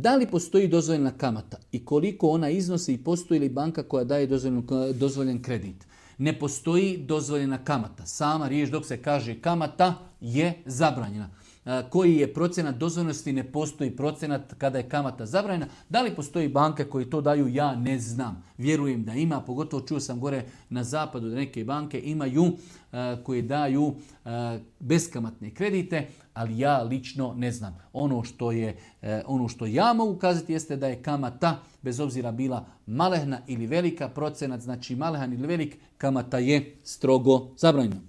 Da li postoji dozvoljena kamata i koliko ona iznosi i postoji li banka koja daje dozvoljen kredit? Ne postoji dozvoljena kamata. Sama riječ dok se kaže kamata je zabranjena. Koji je procenat dozvoljnosti, ne postoji procenat kada je kamata zabranjena. Da li postoji banke koji to daju, ja ne znam. Vjerujem da ima, pogotovo čuo sam gore na zapadu da neke banke imaju koje daju beskamatne kredite, ali ja lično ne znam. Ono što ja mogu kazati jeste da je kamata, bez obzira bila malehna ili velika, procenat znači malehan ili velik, kamata je strogo zabranjena.